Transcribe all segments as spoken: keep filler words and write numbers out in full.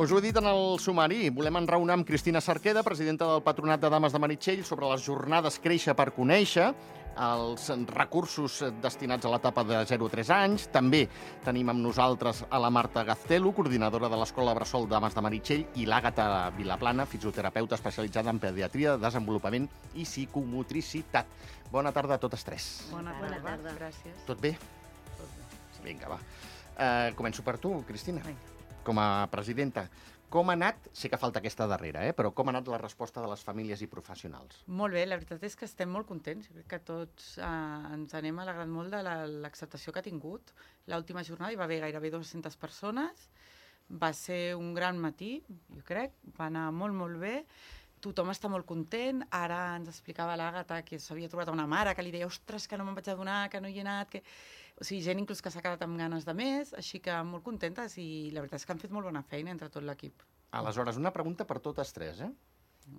Us ho he dit en el sumari, volem enraonar amb Cristina Cerqueda, presidenta del Patronat de Dames de Meritxell, sobre les jornades Créixer per Conèixer, els recursos destinats a l'etapa de zero a tres anys. També tenim amb nosaltres a la Marta Gaztelu, coordinadora de l'Escola Bressol Dames de Meritxell, i l'Àgata Vilaplana, fisioterapeuta especialitzada en pediatria, desenvolupament i psicomotricitat. Bona tarda a totes tres. Bona tarda, Bona tarda. Gràcies. Tot bé? Tot bé. Sí. Vinga, va. Uh, començo per tu, Cristina. Vinga. Com a presidenta, com ha anat, sé que falta aquesta darrera, eh, però com ha anat la resposta de les famílies i professionals? Molt bé, la veritat és que estem molt contents. Jo crec que tots eh, ens anem alegrant molt de l'acceptació que ha tingut. L'última jornada hi va haver gairebé dues-centes persones, va ser un gran matí, jo crec, va anar molt, molt bé. Tothom està molt content. Ara ens explicava l'Àgata que s'havia trobat una mare que li deia ostres, que no me'n vaig adonar, que no hi he anat, que... O sigui, gent inclús que s'ha quedat amb ganes de més, així que molt contentes i la veritat és que han fet molt bona feina entre tot l'equip. Aleshores, una pregunta per totes tres, eh?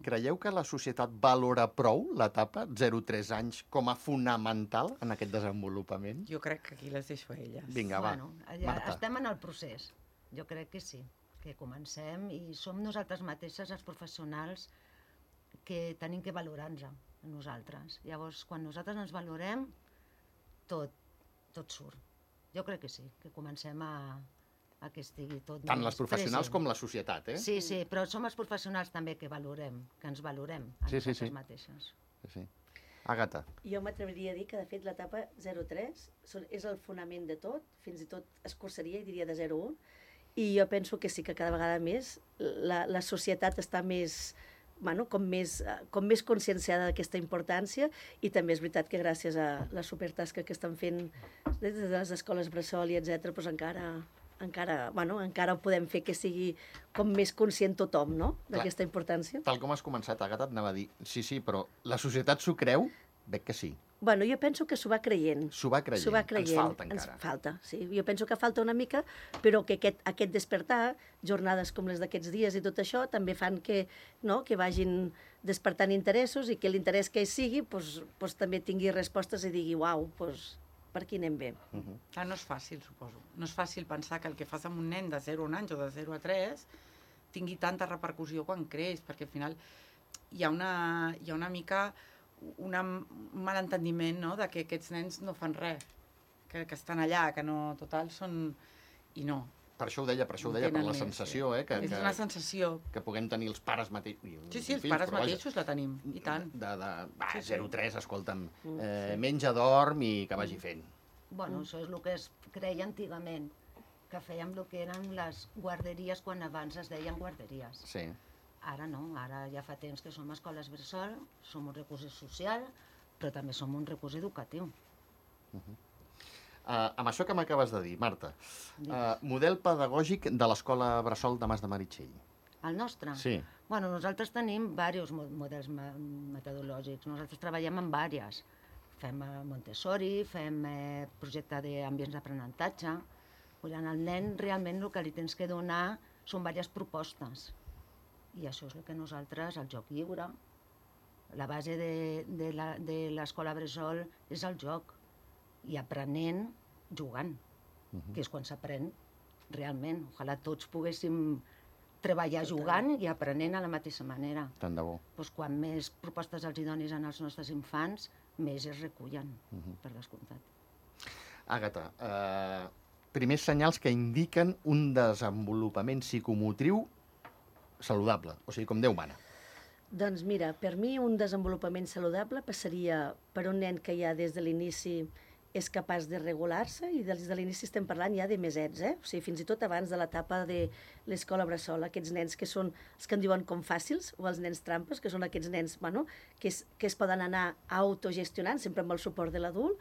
Creieu que la societat valora prou l'etapa zero a tres anys com a fonamental en aquest desenvolupament? Jo crec que aquí les deixo a elles. Vinga, va. Bueno, Marta. Estem en el procés. Jo crec que sí, que comencem i som nosaltres mateixes, els professionals, que tenim que valorar-nos a nosaltres. Llavors, quan nosaltres ens valorem, tot, tot surt. Jo crec que sí, que comencem a, a que estigui tot... Tant les professionals present. Com la societat, eh? Sí, sí, però som els professionals també que valorem, que ens valorem a sí, nosaltres sí, sí. mateixes. Sí, sí. Àgata. Jo m'atreviria a dir que, de fet, l'etapa zero a tres és el fonament de tot, fins i tot escurçaria i diria de zero a un, i jo penso que sí que cada vegada més la, la societat està més... Bueno, com més, com més conscienciada d'aquesta importància, i també és veritat que gràcies a la supertasca que estan fent des de les escoles bressol i etcètera, doncs encara, encara, bueno, encara ho podem fer que sigui com més conscient tothom, no?, d'aquesta importància. Tal com has començat, Àgata, et anava a dir, sí, sí, però la societat s'ho creu? Veig que sí. Bueno, jo penso que s'ho va creient. S'ho va creient. va creient. Ens falta encara. Ens falta, sí. Jo penso que falta una mica, però que aquest, aquest despertar, jornades com les d'aquests dies i tot això, també fan que, no, que vagin despertant interessos i que l'interès que hi sigui pues, pues, també tingui respostes i digui, uau, pues, per aquí anem bé. Uh -huh. ah, no és fàcil, suposo. No és fàcil pensar que el que fas amb un nen de zero a un any o de zero a tres tingui tanta repercussió quan creix, perquè al final hi ha una, hi ha una mica... Una, un malentendiment, no?, de que aquests nens no fan res, que, que estan allà, que no, total, són... I no. Per això ho deia, per això ho deia, per la més, sensació, eh? Que, és una sensació. Que puguem tenir els pares mateixos. Sí, sí, els fills, pares mateixos la tenim, i tant. De, de, va, sí, sí. zero a tres, escolta'm, eh, menja, dorm i que vagi fent. Bueno, mm. això és el que es creia antigament, que fèiem el que eren les guarderies quan abans es deien guarderies. Sí. Ara no, ara ja fa temps que som escoles bressol, som un recurs social, però també som un recurs educatiu. Uh -huh. uh, amb això que m'acabes de dir, Marta, uh, model pedagògic de l'Escola Bressol Dames de Meritxell. El nostre? Sí. Bueno, nosaltres tenim diversos models metodològics, nosaltres treballem en diverses. Fem Montessori, fem eh, projecte d'ambients d'aprenentatge. Al nen realment el que li tens que donar són diverses propostes. I això és el que nosaltres, el joc lliure, la base de, de l'escola bressol és el joc, i aprenent jugant, uh -huh. que és quan s'aprèn realment. Ojalà tots poguéssim treballar jugant i aprenent a la mateixa manera. Tant de bo. Pues quan més propostes els hi donis als nostres infants, més es recullen, uh -huh. per descomptat. Àgata, eh, primers senyals que indiquen un desenvolupament psicomotriu saludable, o sigui, com Déu mana. Doncs mira, per mi un desenvolupament saludable passaria per un nen que ja des de l'inici és capaç de regular-se, i des de l'inici estem parlant ja de mesets, eh? O sigui, fins i tot abans de l'etapa de l'escola bressol, aquests nens que són els que en diuen com fàcils, o els nens trampes, que són aquests nens, bueno, que es, que es poden anar autogestionant, sempre amb el suport de l'adult,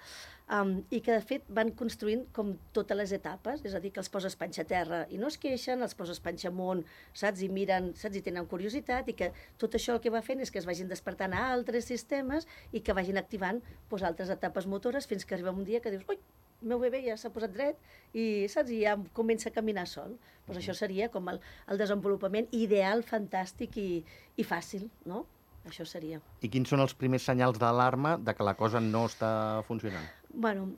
um, i que de fet van construint com totes les etapes, és a dir, que els poses panxa a terra i no es queixen, els poses panxa amunt, saps, i miren, saps, i tenen curiositat, i que tot això el que va fent és que es vagin despertant a altres sistemes i que vagin activant pues, altres etapes motores fins que arriba un dia que dius, ui, el meu bebè ja s'ha posat dret i, saps, i ja comença a caminar sol. Pues això seria com el, el desenvolupament ideal, fantàstic i, i fàcil, no? Això seria. I quins són els primers senyals d'alarma de que la cosa no està funcionant? Bueno,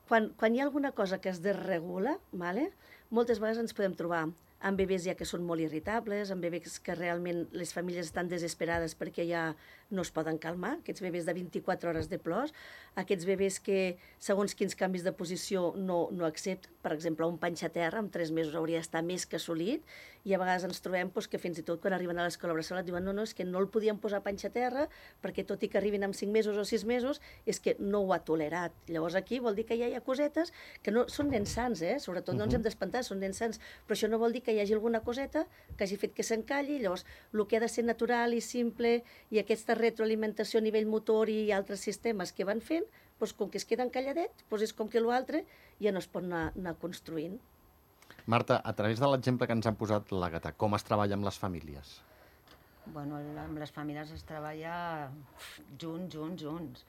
quan, quan hi ha alguna cosa que es desregula, vale, moltes vegades ens podem trobar amb bebès ja que són molt irritables, amb bebès que realment les famílies estan desesperades perquè ja no es poden calmar, aquests bebès de vint-i-quatre hores de plors, aquests bebès que segons quins canvis de posició no, no accepten, per exemple, un panxa a terra amb tres mesos hauria d'estar més que assolit, i a vegades ens trobem doncs, que fins i tot quan arriben a l'escola bressol et diuen no, no, és que no el podien posar panxa a terra perquè tot i que arribin amb cinc mesos o sis mesos és que no ho ha tolerat. Llavors aquí vol dir que ja hi ha cosetes que no són nens sans, eh? Sobretot no ens hem d'espantar, són nens sans, però això no vol dir que hi hagi alguna coseta que hagi fet que s'encalli. Llavors, el que ha de ser natural i simple i aquesta retroalimentació a nivell motor i altres sistemes que van fent, doncs, com que es queda encalladets, doncs és com que l'altre ja no es pot anar, anar construint. Marta, a través de l'exemple que ens han posat l'Àgata, com es treballa amb les famílies? Bueno, amb les famílies es treballa junts, junts, junts.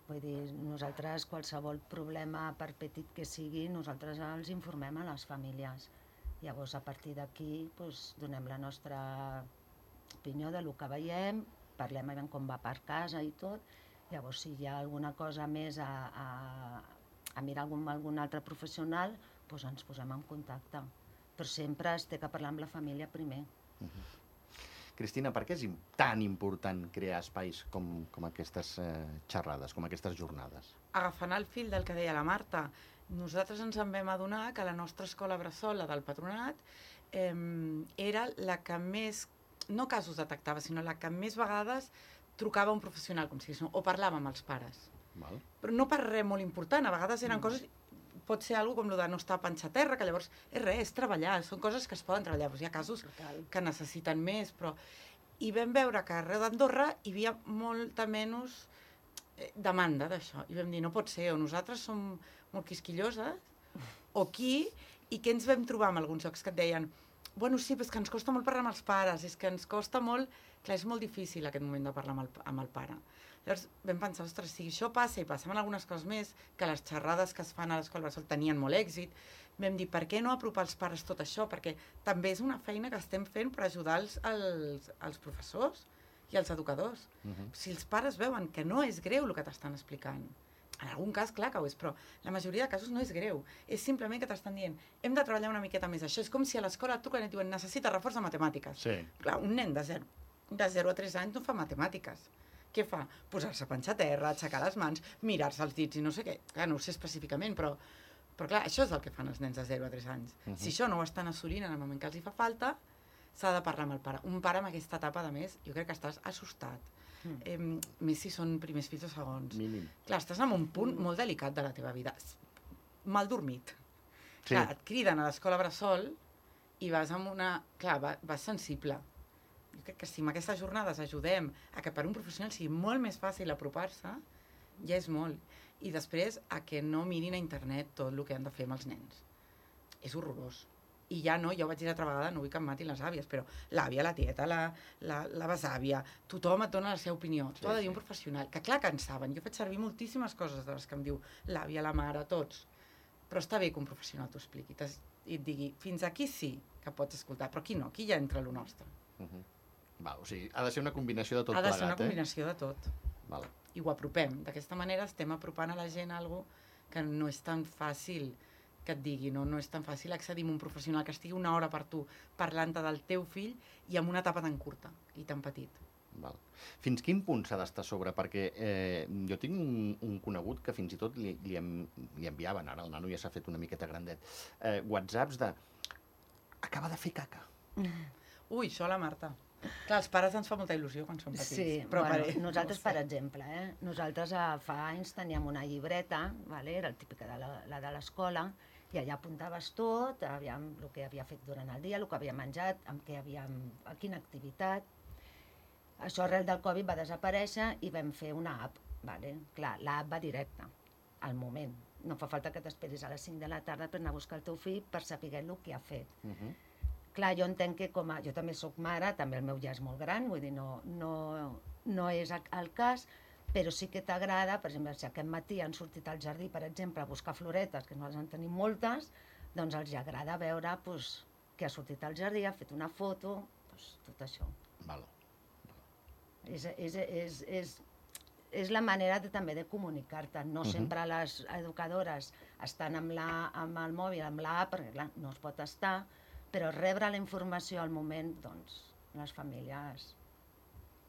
Vull dir, nosaltres, qualsevol problema, per petit que sigui, nosaltres els informem a les famílies. Llavors, a partir d'aquí, doncs, donem la nostra opinió de lo que veiem, parlem a veure com va per casa i tot. Llavors, si hi ha alguna cosa més a, a, a mirar algun, algun altre professional, doncs ens posem en contacte. Però sempre es té que parlar amb la família primer. Uh-huh. Cristina, per què és tan important crear espais com, com aquestes eh, xerrades, com aquestes jornades? Agafant el fil del que deia la Marta, nosaltres ens en vam adonar que la nostra escola bressol, la del Patronat, eh, era la que més, no casos detectava, sinó la que més vegades trucava un professional, com si digués, o parlava amb els pares. Val. Però no per res molt important, a vegades eren mm. coses... Pot ser alguna com el de no estar a panxa a terra, que llavors és res, és treballar, són coses que es poden treballar. Doncs hi ha casos que necessiten més, però... I vam veure que arreu d'Andorra hi havia molta menys demanda d'això. I vam dir, no pot ser, o nosaltres som molt quisquilloses, o qui, i què ens vam trobar amb alguns jocs que et deien bueno, sí, però és que ens costa molt parlar amb els pares, és que ens costa molt... Clar, és molt difícil aquest moment de parlar amb el, amb el pare. Llavors vam pensar, ostres, si això passa i passem en algunes coses més, que les xerrades que es fan a l'escola bressol tenien molt èxit, vam dir, per què no apropar als pares tot això? Perquè també és una feina que estem fent per ajudar els, els, els professors i els educadors. Uh-huh. Si els pares veuen que no és greu el que t'estan explicant, en algun cas, clar que ho és, però la majoria de casos no és greu. És simplement que t'estan dient, hem de treballar una miqueta més això. És com si a l'escola et truquen i et diuen, necessita reforç de matemàtiques. Sí. Clar, un nen de zero, de zero a tres anys no fa matemàtiques. Què fa? Posar-se a panxa a terra, aixecar les mans, mirar-se els dits i no sé què. Clar, no ho sé específicament, però, però clar, això és el que fan els nens de zero a tres anys. Uh-huh. Si això no ho estan assolint en el moment que els hi fa falta, s'ha de parlar amb el pare. Un pare amb aquesta etapa, a més, jo crec que estàs assustat. Mm. Eh, més si són primers fills o segons. Mínim. Clar, estàs en un punt molt delicat de la teva vida. Mal dormit. Sí. Clar, et criden a l'escola bressol i vas amb una... Clar, va, vas sensible. Jo crec que si amb aquestes jornades ajudem a que per un professional sigui molt més fàcil apropar-se, ja és molt. I després a que no mirin a internet tot el que han de fer amb els nens. És horrorós. I ja no, ja ho vaig dir l'altra vegada, no vull que em matin les àvies, però l'àvia, la tieta, la, la, la besàvia, tothom et dona la seva opinió. Sí, t'ho ha de dir un professional, que clar que en saben. Jo faig servir moltíssimes coses de les que em diu l'àvia, la mare, tots. Però està bé que un professional t'ho expliqui i et digui, fins aquí sí que pots escoltar, però aquí no, aquí ja entra lo nostre. Uh-huh. Val, o sigui, ha de ser una combinació de tot plegat, plegat, eh? Ha de ser una eh? combinació de tot. Val. I ho apropem. D'aquesta manera estem apropant a la gent algo que no és tan fàcil que et digui, no, no és tan fàcil accedir a un professional que estigui una hora per tu parlant-te del teu fill i amb una etapa tan curta i tan petit. Val. Fins quin punt s'ha d'estar a sobre? Perquè eh, jo tinc un, un conegut que fins i tot li, li, en, li enviaven, ara el nano ja s'ha fet una miqueta grandet, eh, whatsapps de acaba de fer caca. Ui, això a la Marta. Clar, als pares ens fa molta il·lusió quan som petits. Sí, però bueno, per... nosaltres, no sé. per exemple, eh? nosaltres eh, fa anys teníem una llibreta, vale? Era el típic de la, la de l'escola, i allà apuntaves tot, aviam, el que havia fet durant el dia, el que havia menjat, amb què havíem, a quina activitat. Això arrel del Covid va desaparèixer i vam fer una app. Vale? Clar, l'app va directa, al moment. No fa falta que t'esperis a les cinc de la tarda per anar a buscar el teu fill per saber el que ha fet. Uh-huh. Clar, jo entenc que com a... Jo també sóc mare, també el meu ja és molt gran, vull dir, no, no, no és el cas, però sí que t'agrada, per exemple, si aquest matí han sortit al jardí, per exemple, a buscar floretes, que nosaltres en tenim moltes, doncs els agrada veure pues, que ha sortit al jardí, ha fet una foto, pues, tot això. Val. És, és, és, és, és la manera de, també de comunicar-te. No uh-huh. sempre les educadores estan amb, la, amb el mòbil, amb l'app, perquè clar, no es pot estar, Però rebre la informació al moment, doncs, les famílies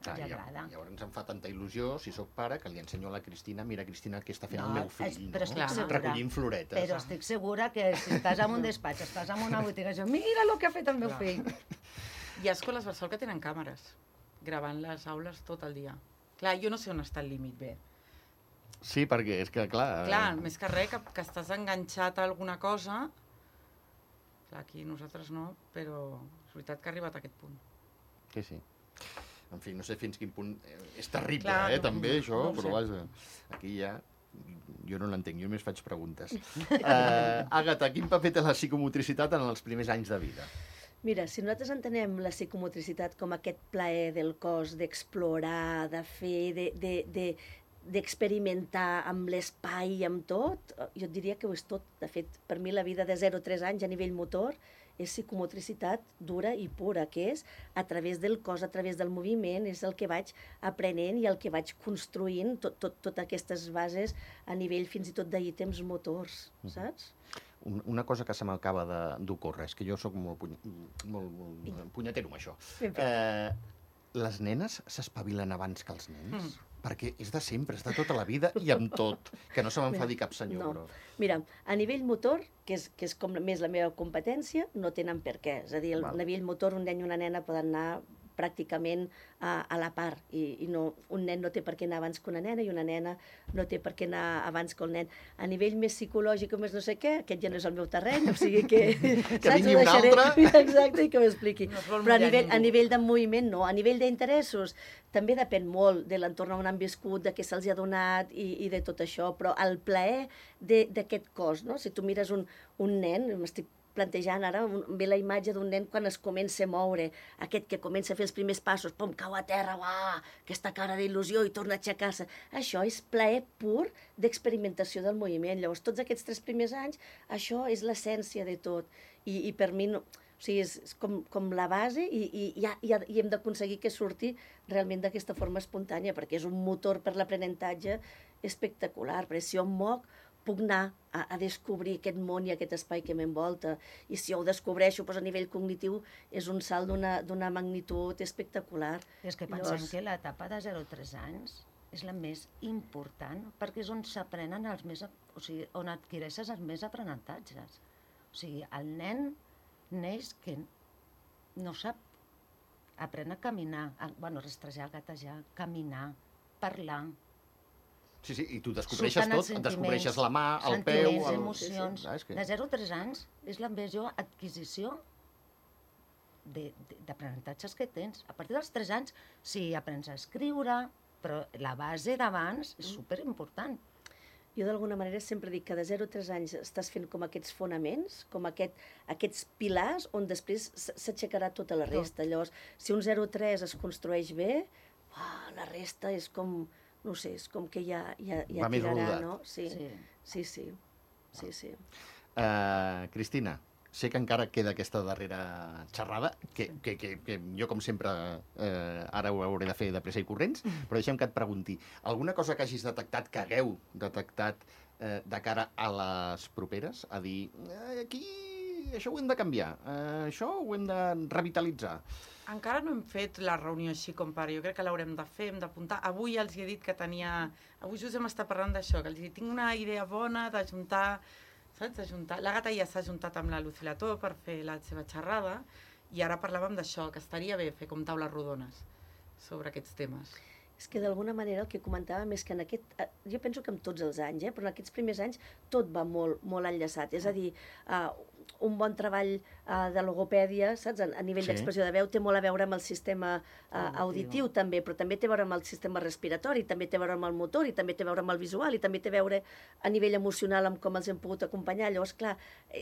Ah, els ja, agrada. llavors em fa tanta il·lusió, si sóc pare, que li ensenyo a la Cristina, mira, Cristina, què està fent No, el meu és- fill, però no? estic segura. Recollint floretes. Però estic segura que si estàs en un despatx, estàs en una botiga, i dius, mira el que ha fet el meu Clar. fill. Hi ha escoles Bressol que tenen càmeres, gravant les aules tot el dia. Clar, jo no sé on està el límit bé. Sí, perquè és que, clar... Clar, més que res, que, que estàs enganxat a alguna cosa. Clar, aquí nosaltres no, però és veritat que ha arribat a aquest punt. Sí, sí. En fi, no sé fins quin punt... eh, És terrible, Clar, eh, no- també, això, no ho però sé. vaja, aquí ja... Jo no l'entenc, jo només faig preguntes. Uh, Àgata, quin paper té la psicomotricitat en els primers anys de vida? Mira, si nosaltres entenem la psicomotricitat com aquest plaer del cos d'explorar, de fer, de, de, de, d'experimentar amb l'espai i amb tot, jo et diria que ho és tot. De fet, per mi la vida de zero a tres anys a nivell motor és psicomotricitat dura i pura, que és a través del cos, a través del moviment, és el que vaig aprenent i el que vaig construint, tot, tot, tot aquestes bases a nivell fins i tot d'ítems motors, saps? Un- Una cosa que se m'acaba de- d'ocórrer, és que jo sóc molt, puny... molt, molt punyetero amb això. Ben fet. Eh, les nenes s'espavilen abans que els nens? Mm. Perquè és de sempre, és de tota la vida i amb tot. Que no se m'enfadi cap senyor, No. però... Mira, a nivell motor, que és, que és com més la meva competència, no tenen per què. És a dir, Val. a nivell motor un nen i una nena poden anar pràcticament a, a la part i, i no, un nen no té per què anar abans que una nena i una nena no té per què anar abans que el nen. A nivell més psicològic o més no sé què, aquest ja no és el meu terreny, o sigui que... Que vingui un altre. Exacte, i que m'expliqui. No es vol Però a mullar nivell, a ningú. nivell de moviment no, a nivell d'interessos també depèn molt de l'entorn on han viscut, de què se'ls ha donat i, i de tot això, però el plaer de- d'aquest cos, no? Si tu mires un, un nen, m'estic plantejant ara, un, ve la imatge d'un nen quan es comença a moure, aquest que comença a fer els primers passos, pum, cau a terra, uah, aquesta cara d'il·lusió i torna a aixecar-se. Això és plaer pur d'experimentació del moviment. Llavors, tots aquests tres primers anys, això és l'essència de tot. I, i per mi, no, o sigui, és, és com, com la base i, i, i, ha- i, ha- i hem d'aconseguir que surti realment d'aquesta forma espontània, perquè és un motor per l'aprenentatge espectacular, perquè si jo em moc, puc anar a, a descobrir aquest món i aquest espai que m'envolta. I si jo ho descobreixo doncs a nivell cognitiu, és un salt d'una d'una magnitud espectacular. I és que pensem Llavors- que l'etapa de zero a tres anys és la més important, perquè és on s'aprenen els més... ap- O sigui, on adquireixes els més aprenentatges. O sigui, el nen neix que no sap, aprèn a caminar, a, bueno, rastrejar, gatejar, caminar, parlar, Sí, sí, i tu descobreixes surten els tot, descobreixes la mà, el sentiments, peu... El... emocions. Ah, és que... De zero a tres anys és la major adquisició de- de- d'aprenentatges que tens. A partir dels tres anys, sí, aprens a escriure, però la base d'abans és superimportant. Jo d'alguna manera sempre dic que de zero a tres anys estàs fent com aquests fonaments, com aquest, aquests pilars on després s- s'aixecarà tota la resta. Llavors, si un zero a tres es construeix bé, uah, la resta és com, no sé, és com que ja, ja, ja Va més tirarà, rodat. no? Sí, Sí. sí, sí. sí, sí. Uh, Cristina, sé que encara queda aquesta darrera xerrada, que, que, que, que jo, com sempre, eh, ara ho hauré de fer de pressa i corrents, però deixem que et pregunti, alguna cosa que hagis detectat, que hagueu detectat eh, de cara a les properes? A dir, eh, aquí això ho hem de canviar, eh, això ho hem de revitalitzar. Encara no hem fet la reunió així com pare. Jo crec que l'haurem de fer, hem d'apuntar. Avui els he dit que tenia... Avui just hem estat parlant d'això, que els he dit, tinc una idea bona d'ajuntar... Saps? D'ajuntar... L'Àgata ja s'ha ajuntat amb la Lucilató per fer la seva xerrada i ara parlàvem d'això, que estaria bé fer com taules rodones sobre aquests temes. És que d'alguna manera el que comentàvem és que en aquest... eh, Jo penso que en tots els anys, eh, però en aquests primers anys tot va molt, molt enllaçat. És a dir, uh, un bon treball uh, de logopèdia, saps? A, a nivell Sí. d'expressió de veu té molt a veure amb el sistema uh, Auditiu. auditiu també, però també té a veure amb el sistema respiratori, també té a veure amb el motor, i també té a veure amb el visual, i també té a veure a nivell emocional amb com els hem pogut acompanyar. Llavors, clar,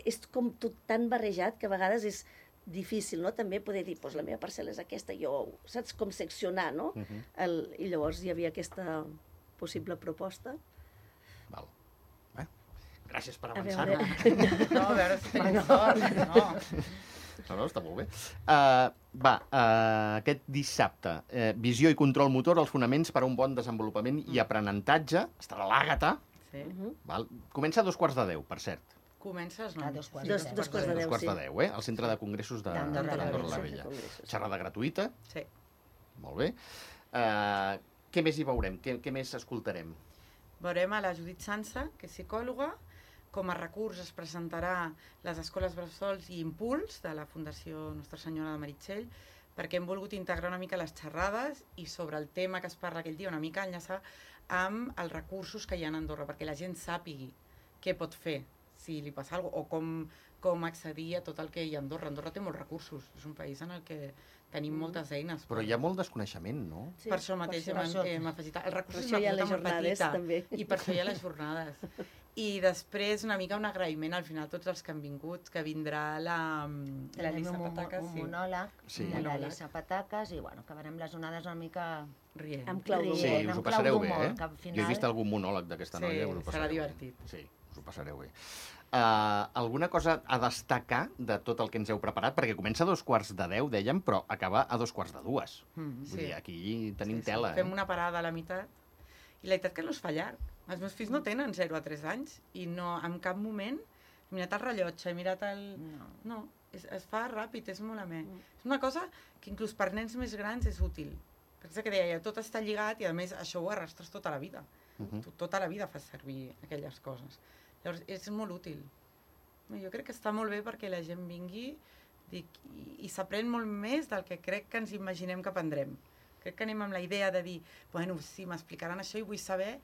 és com tot tan barrejat que a vegades és difícil, no? També poder dir, doncs la meva parcel·la és aquesta, jo, saps com seccionar, no? Uh -huh. El, I llavors hi havia aquesta possible proposta. Val. Bé, gràcies per A avançar. veure. No, a veure si tenim sort, no. No, no, està molt bé. Uh, va, uh, aquest dissabte, uh, visió i control motor, els fonaments per a un bon desenvolupament i aprenentatge. Estarà l'Àgata. Sí. Uh -huh. Val? Comença a dos quarts de deu, per cert. Comença a les A nou. dos quarts Dos- de deu. dos quarts de Dos deu, quarts sí. de deu, eh? Al centre de congressos de- D'Andorra la d'Andorra la Vella. Vella. Congressos. Xerrada gratuïta, Sí. molt bé. Uh, què més hi veurem? Què, què més escoltarem? Veurem a la Judit Sansa, que és psicòloga. Com a recurs es presentarà les escoles bressols i Impuls de la Fundació Nostra Senyora de Meritxell, perquè hem volgut integrar una mica les xerrades i sobre el tema que es parla aquell dia una mica enllaçar amb els recursos que hi ha a Andorra, perquè la gent sàpigui què pot fer si li passa alguna cosa, o com, com accedir a tot el que hi ha a Andorra. Andorra té molts recursos, és un país en el que tenim moltes eines. Però hi ha molt desconeixement, no? Sí, Per això mateix per hem, això. hem afegit... El recurs Per és això una hi ha les coseta molt jornades, petita, també. i per això hi ha les jornades. I després una mica un agraïment al final a tots els que han vingut, que vindrà la, la Tenim Lisa un, Patacas, un sí, monòleg Sí. de la Monòleg. Lisa Patacas i bueno, acabarem les onades una mica rient. Amb clau d'humor. Sí, Rient, us ho amb clau passareu bé, d'humor, eh? que al Jo he final- vist algun monòleg d'aquesta Sí, noia. Us ho serà passareu bé. divertit. Sí, us ho passareu bé. Uh, alguna cosa a destacar de tot el que ens heu preparat? Perquè comença a dos quarts de deu, dèiem, però acaba a dos quarts de dues. Mm, Vull sí. dir, aquí tenim Sí, sí. tela, Fem eh? una parada a la meitat. I la veritat que no es fa llarg. Els meus fills no tenen zero a tres anys i no, en cap moment he mirat el rellotge, he mirat el... No. No, es, es fa ràpid, és molt amè. És una cosa que inclús per nens més grans és útil. Perquè és que deia, tot està lligat i a més això ho arrastres tota la vida. Mhm. Tu tota la vida fas servir aquelles coses. Llavors és molt útil. Jo crec que està molt bé perquè la gent vingui dic, i, i s'aprèn molt més del que crec que ens imaginem que aprendrem. Crec que anem amb la idea de dir, bueno, sí, m'explicaran això i vull saber,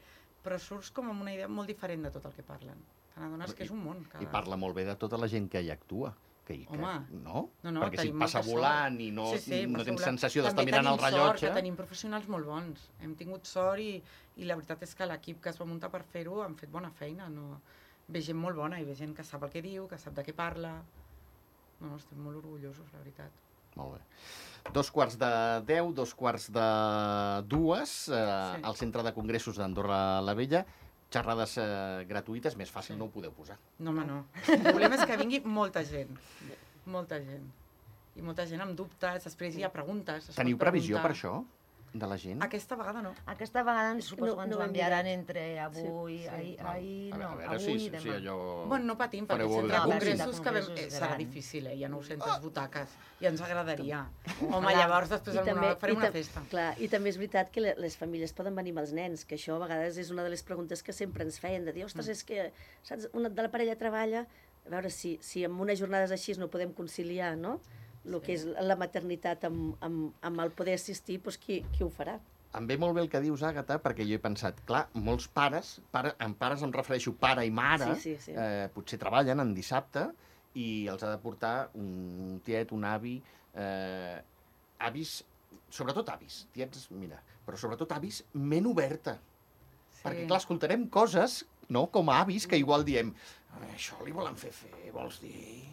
però surts com amb una idea molt diferent de tot el que parlen. Te n'adones que és un món. Cada... I parla molt bé de tota la gent que hi actua. Que, que, Home. no? No, no, Perquè si tenim passa molta volant sort. i no, Sí, sí, no passa tens volant. sensació d'estar També mirant el tenim rellotge... Sort, que tenim professionals molt bons. Hem tingut sort i, i la veritat és que l'equip que es va muntar per fer-ho han fet bona feina. No? Ve gent molt bona i ve gent que sap el que diu, que sap de què parla. No, no, estem molt orgullosos, la veritat. Molt bé. Dos quarts de deu, dos quarts de dues, eh, Sí. al Centre de Congressos d'Andorra la Vella, xerrades eh, gratuïtes, més fàcil Sí. no ho podeu posar. No, home, no. El problema és que vingui molta gent. Molta gent. I molta gent amb dubtes, després hi ha preguntes. es pot Teniu previsió per preguntar. això, de la gent? Aquesta vegada no. Aquesta vegada ens És que suposo no- que ens no ho ho hem enviaran mirat. entre avui, Sí, ahir, Val. ahir, a no, veure, a veure avui si, i si demà. allò... Bueno, no patim, perquè Fareu el centre de algun congressos sí. que vam, Congressos eh, serà gran. difícil, eh? Hi ha nou-centes butaques i ens agradaria. Home, Ojalà. llavors després al monòleg farem i una tam- festa. Clar, i també és veritat que le- les famílies poden venir amb els nens, que això a vegades és una de les preguntes que sempre ens feien, de dir, ostres, Mm. és que, saps, una de la parella treballa, a veure, si, si en unes jornades així no podem conciliar, no?, el Sí. que és la maternitat amb, amb, amb el poder assistir, doncs qui, qui ho farà? Em ve molt bé el que dius, Àgata, perquè jo he pensat, clar, molts pares, pare, amb pares em refereixo pare i mare, Sí, sí, sí. Eh, potser treballen en dissabte i els ha de portar un tiet, un avi, eh, avis, sobretot avis, tiets, mira, però sobretot avis, ment oberta. Sí. Perquè, clar, escoltarem coses, no?, com a avis, que igual diem, això li volen fer fer, vols dir...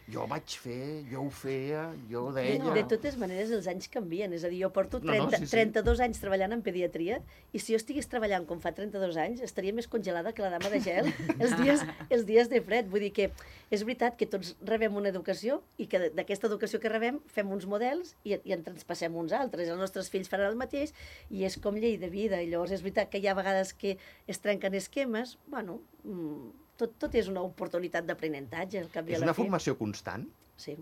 Jo vaig fer, jo ho feia, jo ho De, deia... de totes maneres, els anys canvien. És a dir, jo porto No, no, trenta, sí, sí. trenta-dos anys treballant en pediatria i si jo estigués treballant com fa trenta-dos anys, estaria més congelada que la dama de gel els dies, els dies de fred. Vull dir que és veritat que tots rebem una educació i que d'aquesta educació que rebem fem uns models i, i en transpassem uns altres. Els nostres fills faran el mateix i és com llei de vida. I llavors és veritat que hi ha vegades que es trenquen esquemes. Bueno, mmm, tot, tot és una oportunitat d'aprenentatge, al cap i a És la una fi. formació constant? Sí,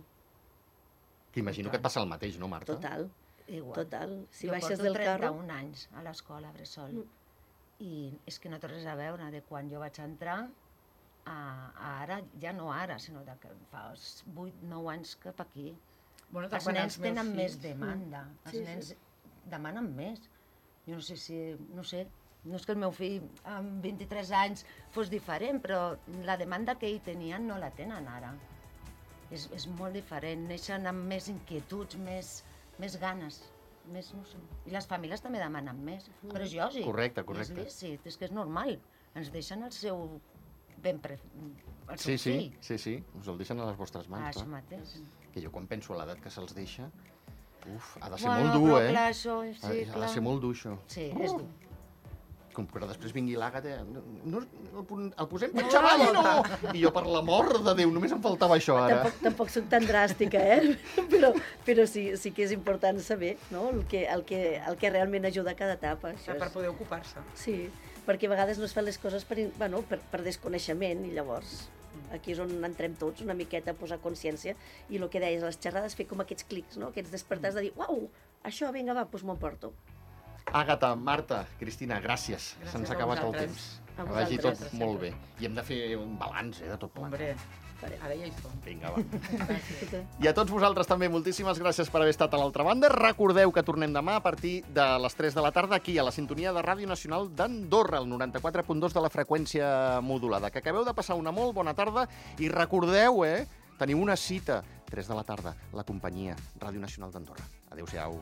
Que imagino que et passa el mateix, no, Marta? total. Igual. Total. Si jo baixes porto del carro... trenta-un anys a l'escola Bressol Mm. i és que no té res a veure de quan jo vaig entrar a, a ara, ja no ara, sinó de que fa vuit nou anys cap aquí. Bueno, Els quan nens meus tenen més fills- demanda, els Sí, sí. nens demanen més. Jo no sé si, no sé, no és que el meu fill amb vint-i-tres anys fos diferent, però la demanda que ell tenien no la tenen ara. És, és molt diferent, neixen amb més inquietuds, més, més ganes, més, no sé. I les famílies també demanen més, però és lògic. Correcte, És correcte. lícit, és que és normal. Ens deixen el seu ben pre... el seu Sí, sí, fill. sí, sí, us el deixen a les vostres Ah, mans, això clar. mateix. Que jo quan penso a l'edat que se'ls deixa, uf, ha de ser Bueno, molt dur, però eh? clar, això, Ha- sí, ha clar. de ser molt dur, això. Sí, és dur. Com que després vingui l'Àgata, no, no, el, pon- el posem per xaval o no? I jo, per l'amor de Déu, només em faltava això ara. Tampoc, tampoc soc tan dràstica, eh? però, però sí, sí que és important saber, no?, el que, el que, el que realment ajuda a cada etapa. Això Per és... poder ocupar-se. Sí, perquè a vegades no es fan les coses per, in- bueno, per, per desconeixement i llavors Aquí és on entrem tots, una miqueta a posar consciència, i el que deies, les xerrades, fer com aquests clics, no? Aquests despertars de dir, uau, això, vinga, va, doncs m'ho emporto. Àgata, Marta, Cristina, gràcies. Gràcies Se'ns a ha acabat el vosaltres. temps. A Que vagi tot vosaltres. molt bé. I hem de fer un balanç eh, de tot plegat. Hombre, Farem. ara ja hi som. Vinga, va. Gràcies. I a tots vosaltres també, moltíssimes gràcies per haver estat a l'altra banda. Recordeu que tornem demà a partir de les tres de la tarda aquí, a la sintonia de Ràdio Nacional d'Andorra, el noranta-quatre punt dos de la freqüència modulada. Que acabeu de passar una molt bona tarda i recordeu, eh, teniu una cita, tres de la tarda, la companyia Ràdio Nacional d'Andorra. Adéu-siau.